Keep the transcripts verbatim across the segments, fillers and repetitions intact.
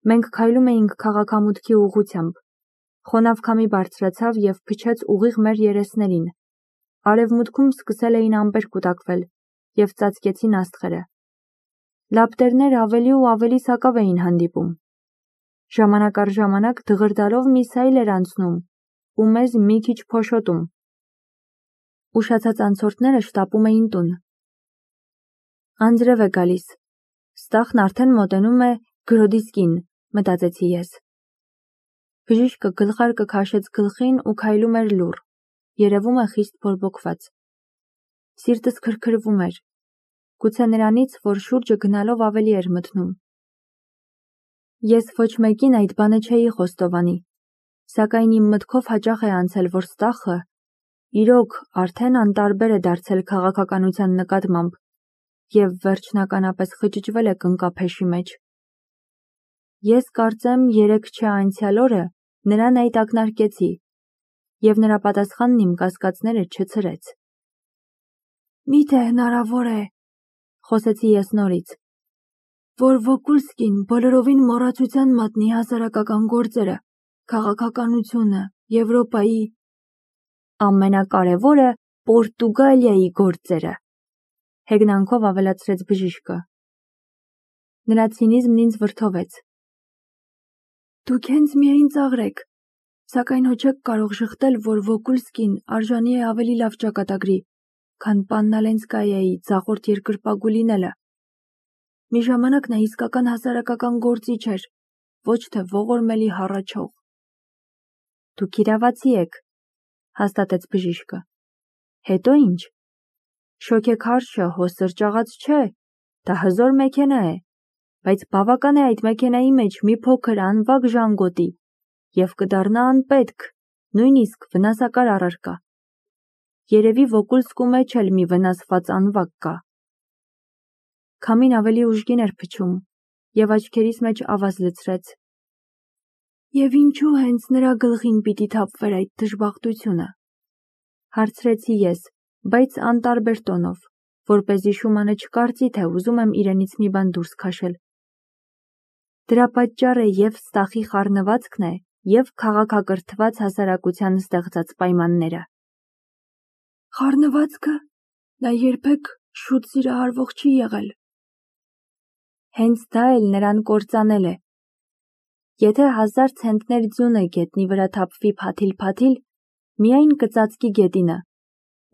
Մենք քայլում էինք քաղաքամուտքի ուղղությամբ։ Խոնավ քամի բարձրացավ և փչեց ուղիղ մեր երեսներին։ Արևմուտքում սկսել էին ամպեր կուտակվել և ծածկեցին աստղերը։ Լապտերներ ավելի ու ավելի սակավ էին հանդիպում։ Ժամանակ առ ժամանակ դղրդալով միսայլ էր անցնում ու մեզ մի քիչ փոշոտում։ Ուշացած անցորդները շտապում էին տուն։ Անձրև է գալիս։ Ստախն արդեն մոտենում է Գրոդիսկին, մտածեցի ես։ Բժիշկը գլխարկը քաշեց գլխին ու քայլում էր լուռ, երևում է խիստ բորբոքված։ Սիրտս քրքրվում էր, գուցե նրանից, որ շուրջը գնալով ավելի էր մթնում։ Ես ոչ մեկին այդ բանը չէի խոստովանի, սակայն իմ մտքով հաճախ է անցել, որ Ստախը իրոք արդեն անտարբեր է դարձել քաղաքականության նկատմամբ և վերջնականապես խճճվել է կնկափեշի մեջ։ Ես կարծեմ երեկ չէ անցյալ օրը նրան այդ ակնարկեցի, և նրա պատասխանն իմ կասկածները չցրեց։ Միթե հնարավոր է, խոսեցի ես նորից, որ Վոկուլսկին բոլորովին մոռացության մատնի հասարակական գործերը, քաղաքականությունը, Եվրոպայի… Ամենակարևորը Պորտուգալիայի գործերը, հեգնանքով ավելացրեց բժիշկը։ Նրա ցինիզմն ինձ վրդովեց։ Դուք հենց միայն ծաղրեք, սակայն հո չեք կարող շղթել, որ Վոկուլսկին արժանի է ավելի լավ ճակատագրի, քան Պաննալենսկայայի ձախորդ երկրպագու լինելը։ Մի ժամանակ նա իսկական հասարակական գործիչ էր, ոչ թե ողորմելի հառաչող։ Դուք իրավացի եք, հաստատեց բժիշկը։ Հետո ինչ։ Շոգեքարշը հո սրճաղաց չէ, դա հզոր մեքենա է, բայց բավական է այդ մեքենայի մեջ մի փոքր անվագ ժանգոտի, և կդառնա անպետք, նույնիսկ վնասակար առարկա։ Երևի Վոկուլսկու մեջ էլ մի վնասված անվագ կա։ Քամին ավելի ուժգին էր փչում, և աչքերիս մեջ ավազ լցրեց։ Եվ ինչու հենց նրա գլխին պիտի թափվեր այդ դժբախտությունը, հարցրեցի ես, բայց անտարբեր տոնով, որպեսզի Շումանը չկարծի, թե ուզում եմ իրենից մի բան դուրս քաշել։ Դրա պատճառը և Ստախի խառնվածքն է, և քաղաքակրթված հասարակության ստեղծած պայմանները։ Խառնվածքը… Նա երբեք շուտ սիրահարվող չի եղել։ Հենց դա էլ նրան կործանել է։ Եթե հազար ցենտներ ձյունը գետնի վրա թափվի փաթիլ-փաթիլ, միայն կծածկի գետինը,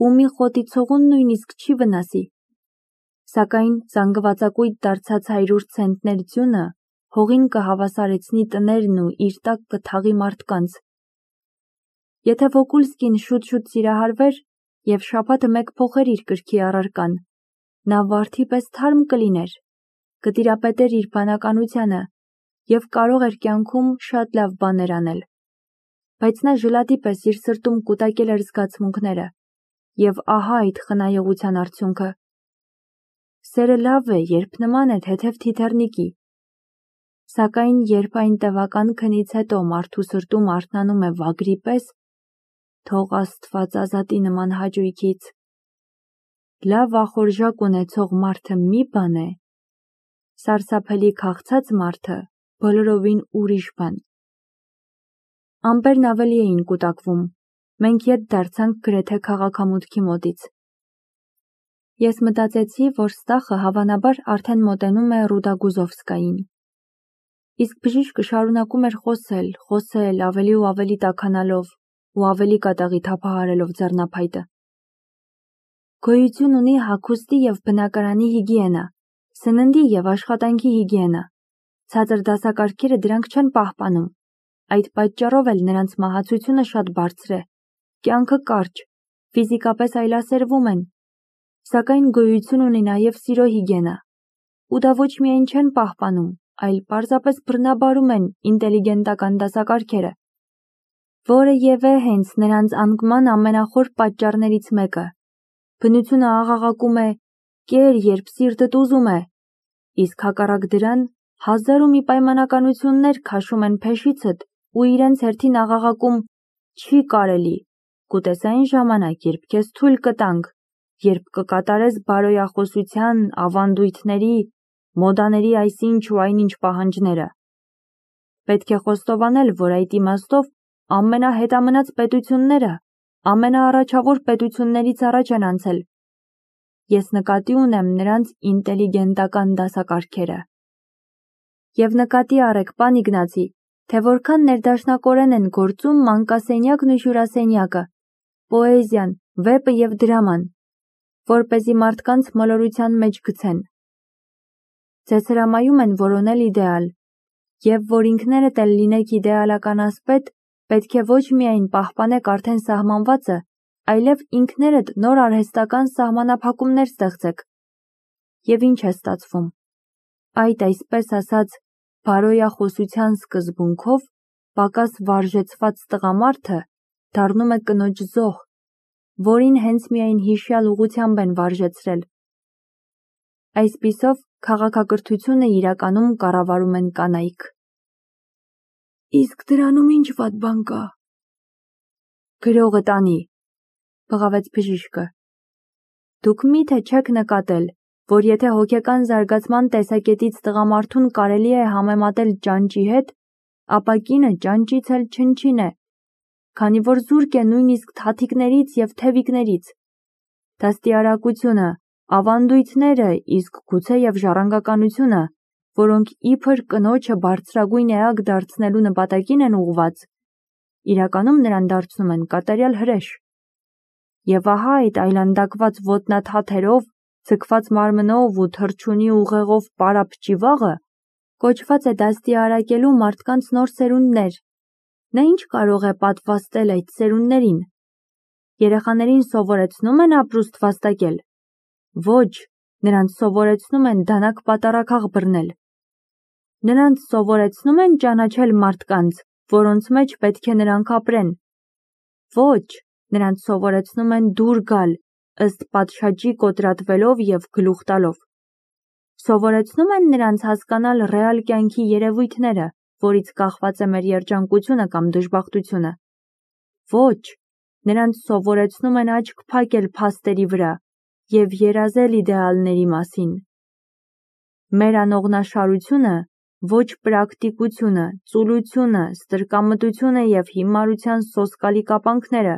ու մի խոտի ցողուն նույնիսկ չի վնասի։ Սակայն զանգվածակույտ դարձած հարյուր ցենտներ ձյունը հողին կհավասարեցնի տներն ու իր տակ կթաղի մարդկանց։ Եթե Վոկուլսկին շուտ-շուտ սիրահարվեր և շաբաթը մեկ փոխեր իր կրքի առարկան, նա վարդի պես թարմ կլիներ, կտիրապետեր իր բանականությանը և կարող էր կյանքում շատ լավ բաներ անել։ Բայց նա ժլատի պես իր սրտում կուտակել էր զգացմունքները, և ահա այդ խնայողության արդյունքը։ Սերը լավ է, երբ նման է թեթև թիթեռնիկի, սակայն երբ այն տևական քնից հետո մարդու սրտում արթնանում է վագրի պես, թող Աստված ազատի նման հաճույքից։ Լավ ախորժակ ունեցող մարդը մի բան է, սարսափելի քաղցած մարդը բոլորովին ուրիշ բան։ Ամպերն ավելի էին կուտակվում, մենք ետ դարձանք գրեթե քաղաքամուտքի մոտից։ Ես մտածեցի, որ Ստախը հավանաբար արդեն մոտենում է Ռուդագուզովսկային։ Իսկ բժիշկը շարունակում էր խոսել, խոսել, ավելի ու ավելի տաքանալով ու ավելի կատաղի թափահարելով ձեռնափայտը։ Գոյություն ունի հագուստի և բնակարանի հիգիենա, սննդի և աշխատանքի հիգիենա։ Ցածր դասակարգերը դրանք չեն պահպանում, այդ պատճառով էլ նրանց մահացությունը շատ բարձր է, կյանքը կարճ, ֆիզիկապես այլասերվում են, սակայն գոյություն ունի նաև սիրո հիգիենա, ու դա ոչ միայն չեն պահպանում, այլ պարզապես բռնաբարում են ինտելիգենտական դասակարգերը, որը և է հենց նրանց անկման ամենախոր պատճառներից մեկը։ Բնությունը աղաղակում է «կեր, երբ սիրտդ ուզում է», իսկ հակառակ դրան հազար ու մի պայմանականություններ քաշում են փեշիցդ ու իրենց հերթին աղաղակում «չի կարելի, կուտես այն ժամանակ, երբ քեզ թույլ կտանք, երբ կկատարես բարոյախոսության, ավանդույթների, մոդաների այսինչ ու այնինչ պահանջները»։ Պետք է խոստովանել, որ այդ իմաստով ամենահետամնաց պետությունները, ամենաառաջավոր պետություններից առաջ են անցել։ Ես նկատի ունեմ նրանց ինտելիգենտական դասակարգերը։ Եվ նկատի առեք, պան Իգնացի, թե որքան ներդաշնակորեն են գործում մանկասենյակն ու հյուրասենյակը, պոեզիան, վեպը և դրաման, որպեսզի մարդկանց մոլորության մեջ գցեն։ Ձեզ հրամայում են որոնել իդեալ, և որ ինքներդ էլ լինեք իդեալական ասպետ, պետք է ոչ միայն պահպանեք արդեն սահմանվածը, այլև ինքներդ նոր արհեստական սահմանափակումներ ստեղծեք։ Եվ ինչ է ստացվում։ Այդ այսպես ասած բարոյախոսության սկզբունքով պակաս վարժեցված տղամարդը դառնում է կնոջ զոհ, որին հենց միայն հիշյալ ուղղությամբ են վարժեցրել։ Այսպիսով քաղաքակրթությունը իրականում կառավարում են կանայք։ Իսկ դրանում ինչ վատ բան կա։ Գրողը տանի, բղավեց բժիշկը։ Դուք միթե չեք նկատել, որ եթե հոգեկան զարգացման տեսակետից տղամարդուն կարելի է համեմատել ճանճի հետ, ապա կինը ճանճից էլ չնչին է, քանի որ զուրկ է նույնիսկ թաթիկներից և թևիկներից։ Դաստիարակությունը, ավանդույթները, իսկ գուցե և ժառանգականությունը, որոնք իբր կնոջը բարձրագույն էակ դարձնելու նպատակին են ուղղված, իրականում նրան դարձնում են կատարյալ հրեշ։ Եվ ահա այդ այլանդակված ոտնաթաթերով, ձգված մարմնով ու թռչունի ուղեղով պարապ ճիվաղը կոչված է դաստիարակելու մարդկանց նոր սերունդներ։ Նա ինչ կարող է պատվաստել այդ սերունդներին։ Երեխաներին սովորեցնում են ապրուստ վաստակել։ Ոչ, նրանց սովորեցնում են դանակ պատառաքաղ բռնել։ Նրանց սովորեցնում են ճանաչել մարդկանց, որոնց մեջ պետք է նրանք ապրեն։ Ոչ, նրանց սովորեցնում են դուր գալ, ըստ պատշաճի կոտրատվելով և գլուխ տալով։ Սովորեցնում են նրանց հասկանալ ռեալ կյանքի երևույթները, որից կախված է մեր երջանկությունը կամ դժբախտությունը։ Ոչ, նրանց սովորեցնում են աչք փակել փաստերի վրա և երազել իդեալների մասին։ Մեր անողնաշարությունը, ոչ պրակտիկությունը, ծուլությունը, ստրկամտությունը և հիմարության սոսկալի կապանքները,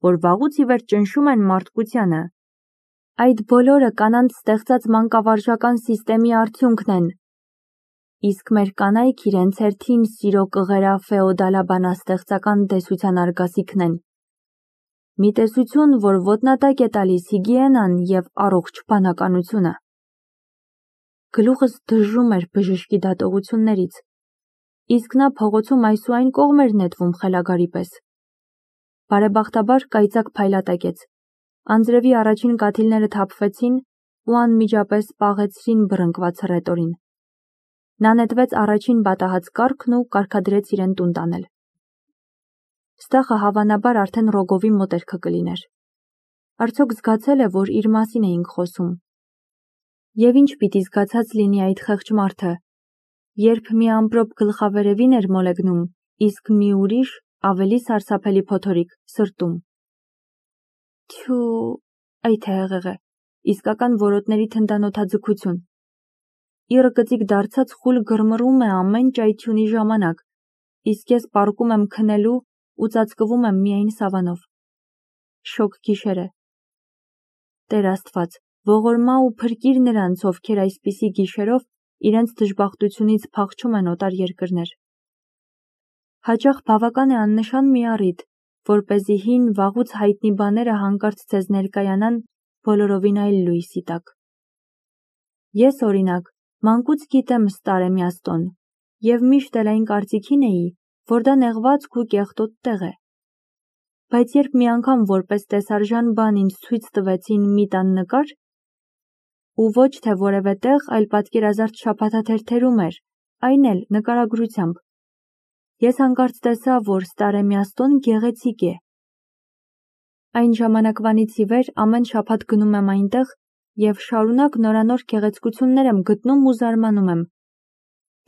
որ վաղուց ի վեր ճնշում են մարդկությանը, այդ բոլորը կանանց ստեղծած մանկավարժական սիստեմի արդյունքն են։ Իսկ մեր կանայք իրենց հերթին սիրո կղերաֆեոդալաբանաստեղծական տեսության արգասիքն են։ Մի տեսություն, որ ոտնատակ է տալիս հիգիենան և առողջ բանականությունը։ Գլուխս դժում էր բժշկի դատողություններից, իսկ նա փողոցում այս ու այն կողմ էր նետվում խելագարի պես։ Բարեբախտաբար կայծակ փայլատակեց։ Անձրևի առաջին կաթիլները թափվեցին ու անմիջապես պաղեցրին բռնկված հռետորին։ Նա նետվեց առաջին պատահած կառքն ու կարգադրեց իրեն տուն տանել։ Ստախը հավանաբար արդեն Ռոգովի մոտերքը կլիներ։ Արդյոք զգացել է, որ իր մասին էինք խոսում։ Եվ ինչ պիտի զգացած լինի այդ խեղճ մարդը, երբ մի ամպրոպ գլխավերևին էր մոլեգնում, իսկ մի ուրիշ, ավելի սարսափելի փոթորիկ, սրտում։ Թյու, այ թե հեղեղե, իսկական որոտների թնդանոթաձգություն։ Իռը կծիկ դարձած խուլ գրմռում է ամեն ճայթյունի ժամանակ, իսկ ես պառկում եմ քնելու ու ծածկվում եմ միայն սավանով։ Շոգ գիշեր է։ Տեր Աստված, ողորմա ու փրկիր նրանց, ովքեր այսպիսի գիշերով իրենց դժբախտությունից փախչում են օտար երկրներ։ Հաճախ բավական է աննշան մի առիթ, որպեսզի հին վաղուց հայտնի բաները հանկարծ ձեզ ներկայանան բոլորովին այլ լույսի տակ։ Ես, օրինակ, մանկուց գիտեմ Ստարեմյաստոն և միշտ էլ այն կարծիքին էի, որ դա նեղվածք ու կեղտոտ տեղ է։ Բայց երբ մի անգամ որպես տեսարժան բան ինձ ցույց տվեցին մի տան նկար, ու ոչ թե որևէ տեղ, այլ պատկերազարդ շաբաթաթերթերում էր, այն էլ նկարագրությամբ, ես հանկարծ տեսա, որ Ստարեմյաստոն գեղեցիկ է։ Այն ժամանակվանից ի վեր ամեն շաբաթ գնում եմ այնտեղ և շարունակ նորանոր գեղեցկություններ եմ գտնում ու զարմանում եմ,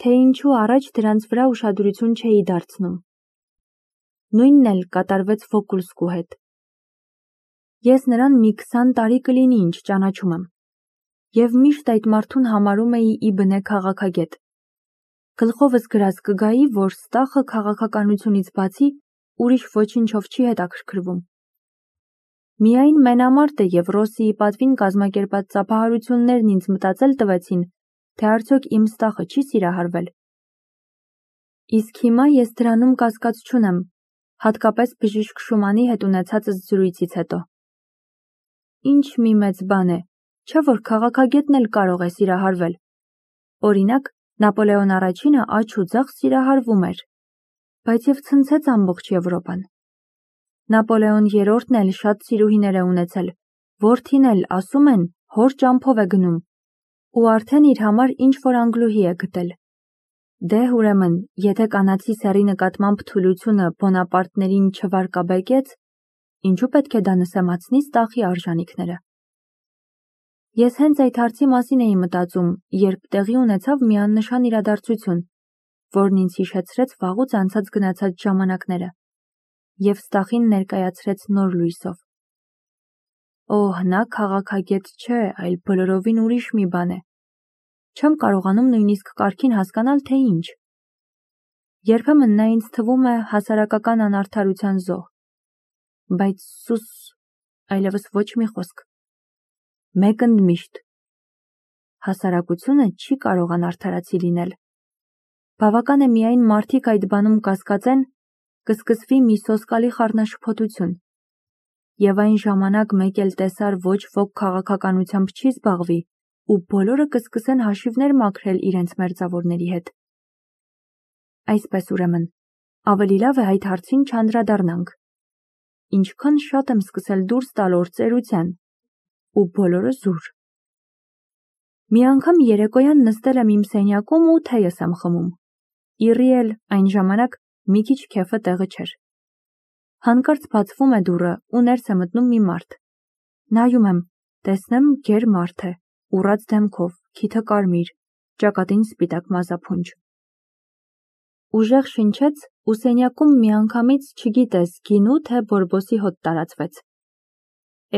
թե ինչու առաջ դրանց վրա ուշադրություն չէի դարձնում։ Նույնն էլ կատարվեց Վոկուլսկու հետ։ Ես նրան մի քսան տարի կլինի ինչ ճանաչում եմ, և միշտ այդ մարդուն համարում էի ի բնե քաղաքագետ։ Գլխովս գրած կգայի, որ ստախը քաղաքականությունից բացի ուրիշ ոչինչով չի հետաքրքրվում։ Միայն Մենամարտը և Ռոսիի պատվին կազմակերպած ծափահարություններն ինձ մտածել տվեցին, թե արդյոք իմ ստախը չի սիրահարվել։ Իսկ հիմա ես դրանում կասկած չունեմ, հատկապես բժիշկ Շումանի հետ ունեցածս զրույցից հետո։ Ինչ մի մեծ բան է, չէ՞ որ քաղաքագետն էլ կարող է սիրահարվել։ Օրինակ, Նապոլեոն առաջինը աջ ու ձախ սիրահարվում էր, բայց և ցնցեց ամբողջ Եվրոպան։ Նապոլեոն երրորդն էլ շատ սիրուհիներ է ունեցել, որդին էլ, ասում են, հոր ճամփով է գնում, ու արդեն իր համար ինչ-որ անգլուհի է գտել։ Դե ուրեմն, եթե կանացի սեռի նկատմամբ թուլությունը Բոնապարտներին չվարկաբեկեց, ինչու պետք է դա նսեմացնի ստախի արժանիքները։ Ես հենց այդ հարցի մասին էի մտածում, երբ տեղի ունեցավ մի աննշան իրադարձություն, որն ինձ հիշեցրեց վաղուց անցած գնացած ժամանակները և ստախին ներկայացրեց նոր լույսով։ Օհ, նա քաղաքագետ չէ, այլ բոլորովին ուրիշ մի բան է։ Չեմ կարողանում նույնիսկ կարգին հասկանալ, թե ինչ։ Երբեմն նա ինձ թվում է հասարակական անարդարության զոհ։ Բայց սուս, այլևս ոչ մի խոսք։ Մեկ ընդմիշտ։ Հասարակությունը չի կարող անարդարացի լինել։ Բավական է միայն մարդիկ այդ բանում կասկածեն, կսկսվի մի սոսկալի խառնաշփոթություն։ Եվ այն ժամանակ մեկ էլ տեսար ոչ ոք քաղաքականությամբ չի զբաղվի, ու բոլորը կսկսեն հաշիվներ մաքրել իրենց մերձավորների հետ։ Այսպես ուրեմն, ավելի լավ է այդ հարցին չանդրադառնանք։ Ինչքան շատ եմ սկսել դուրս տալ օր ծերության, ու բոլորը զուր։ Մի անգամ երեկոյան նստել եմ իմ սենյակում ու թեյս եմ խմում։ Իռի էլ այն ժամանակ մի քիչ քեֆը տեղը չէր։ Հանկարծ բացվում է դուռը ու ներս է մտնում մի մարդ։ Նայում եմ, տեսնեմ գեր մարդ է, ուռած դեմքով, քիթը կարմիր, ճակատին սպիտակ մազափունջ։ Ուժեղ շնչեց ու սենյակում միանգամից չգիտես գինու թե բորբոսի հոտ տարածվեց։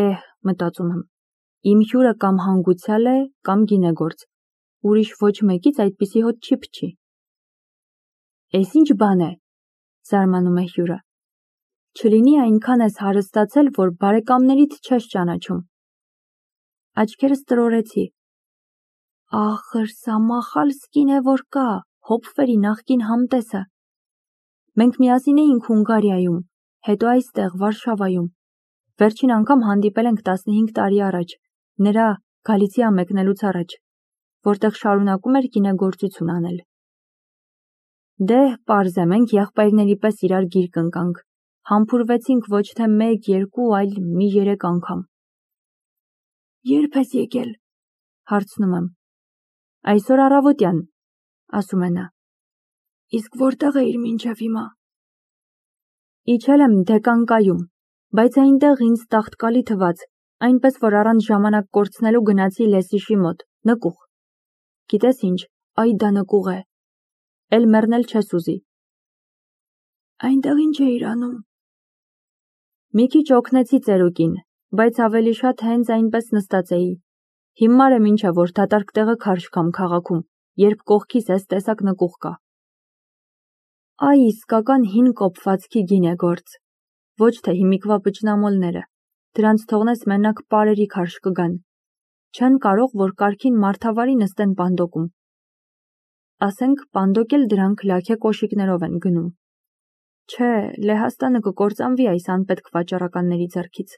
Էհ, մտածում եմ, իմ հյուրը կամ հանգուցյալ է, կամ գինեգործ, ուրիշ ոչ մեկից այդպիսի հոտ չի փչի։ Էս ինչ բան է, զարմանում է հյուրը։ Չլինի այնքան ես հարստացել, որ բարեկամներիդ չես ճանաչում։ Աչքերս տրորեցի։ Ախր սա Մախալսկին է, որ կա, Հոփվերի նախկին համտեսը։ Մենք միասին էինք Հունգարիայում, հետո այստեղ Վարշավայում։ Վերջին անգամ հանդիպել ենք տասնհինգ տարի առաջ, նրա Գալիցիա մեկնելուց առաջ, որտեղ շարունակում էր գինեգործություն անել։ Դե, պարզ է, մենք եղբայրների պես իրար գիրկ ընկանք, համբուրվեցինք ոչ թե մեկ, երկու, այլ մի երեք անգամ։ Երբ ես եկել, հարցնում եմ։ Այսօր առավոտյան, ասում է նա։ Իսկ որտեղ էիր մինչև հիմա։ Իջել եմ Դեկանկայում, բայց այնտեղ ինձ տաղտկալի թվաց, այնպես որ առանց ժամանակ կորցնելու գնացի Լեսիշի մոտ, նկուղ։ Գիտես ինչ, այ դա նկուղ է։ Էլ մեռնել չես ուզի։ Այնտեղ ինչ էիր անում։ Մի քիչ օգնեցի ծերուկին, բայց ավելի շատ հենց այնպես նստած էի։ Հիմար եմ ինչ է, որ դատարկ տեղը քարշ կամ քաղաքում, երբ կողքիս էս տեսակ նկուղ կա։ Այ իսկական հին կոփվածքի գինեգործ, ոչ թե հիմիկվա բջնամոլները, դրանց թողնես մենակ պարերի քարշ կգան, չեն կարող, որ կարգին մարդավարի նստեն պանդոկում։ Ասենք պանդոկ էլ դրանք լաքե կոշիկներով են գնում։ Չէ, Լեհաստանը կկործանվի այս անպետք վաճառականների ձեռքից։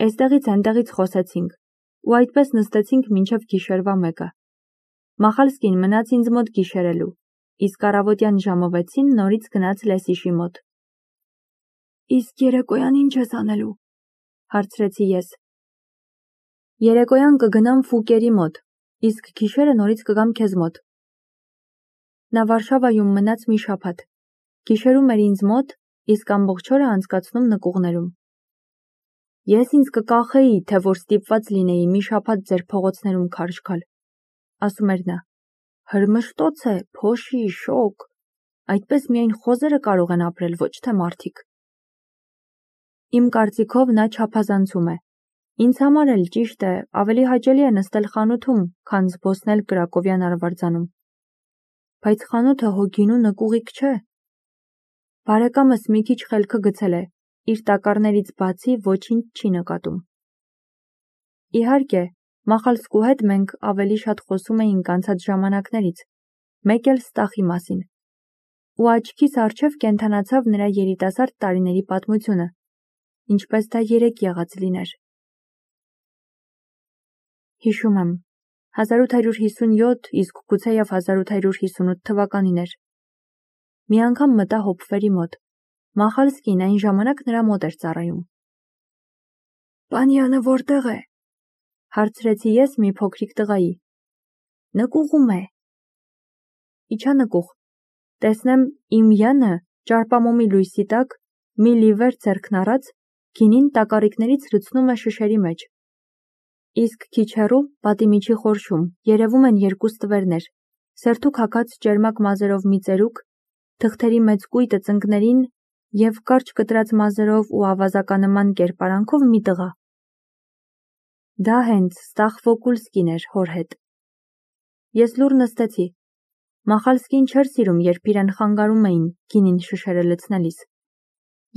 Էստեղից այնտեղից խոսեցինք, ու այդպես նստեցինք մինչև գիշերվա մեկը։ Մախալսկին մնաց ինձ մոտ գիշերելու, իսկ առավոտյան ժամը վեցին նորից գնաց Լեսիշի մոտ։ Իսկ երեկոյան ինչ ես անելու, հարցրեցի ես։ Երեկոյան կգնամ Ֆուկերի մոտ, իսկ գիշերը նորից կգամ քեզ մոտ։ Նա Վարշավայում մնաց մի շաբաթ, գիշերում էր ինձ մոտ, իսկ ամբողջ օրը անցկացնում նկուղներում։ Ես ինձ կկախեի, թե որ ստիպված լինեի մի շաբաթ ձեր փողոցներում քարշ գալ, ասում էր նա։ Հրմշտոց է, փոշի, շոկ, այդպես միայն խոզերը կարող են ապրել, ոչ թե մարդիկ։ Իմ կարծիքով նա չափազանցում է։ Ինձ համար էլ ճիշտ է, ավելի հաճելի է նստել խանութում, քան զբոսնել Կրակովյան արվարձանում։ բայց խանութը հո գինու նկուղիկ չէ։ Բարեկամս մի քիչ խելքը գցել է, իր տակառներից բացի ոչինչ չի նկատում։ Իհարկե, Մախալսկու հետ մենք ավելի շատ խոսում էինք անցած ժամանակներից, մեկ էլ Ստախի մասին, ու աչքիս առջև կենդանացավ նրա երիտասարդ տարիների պատմությունը, ինչպես դա երեկ եղած լիներ։ Հիշում եմ, հազար ութ հարյուր հիսունյոթ, իսկ գուցեև հազար ութ հարյուր հիսունութ թվականին էր։ Մի անգամ մտա Հոփվերի մոտ։ Մախալսկին այն ժամանակ նրա մոտ էր ծառայում։ Պանյանը որտեղ է, հարցրեցի ես մի փոքրիկ տղայի։ Նկուղում է։ Իջա նկուղ, տեսնեմ իմ Յանը ճարպամոմի լույսի տակ, մի լիվեր ձեռքն առած, գինին տակառիկներից լցնում է շշերի մեջ։ Իսկ քիչ հեռու, պատի միջի խորշում, երևում են երկու ստվերներ, սերթուք հագած ճերմակ մազերով մի ծերուկ, թղթերի մեծ կույտը ծնկներին և կարճ կտրած մազերով ու ավազականնման կերպարանքով մի տղա։ Դա հենց Ստախ Վոկուլսկին էր հոր հետ։ Ես լուռ նստեցի։ Մախալսկին չէր սիրում, երբ իրեն խանգարում էին գինին շշերը լցնելիս։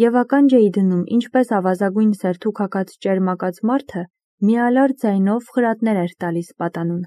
Եվ ականջ էի դնում, ինչպես ավազագույն սերթուք հագած ճերմակած մարդը մի ալար ձայնով խրատներ էր տալիս պատանուն։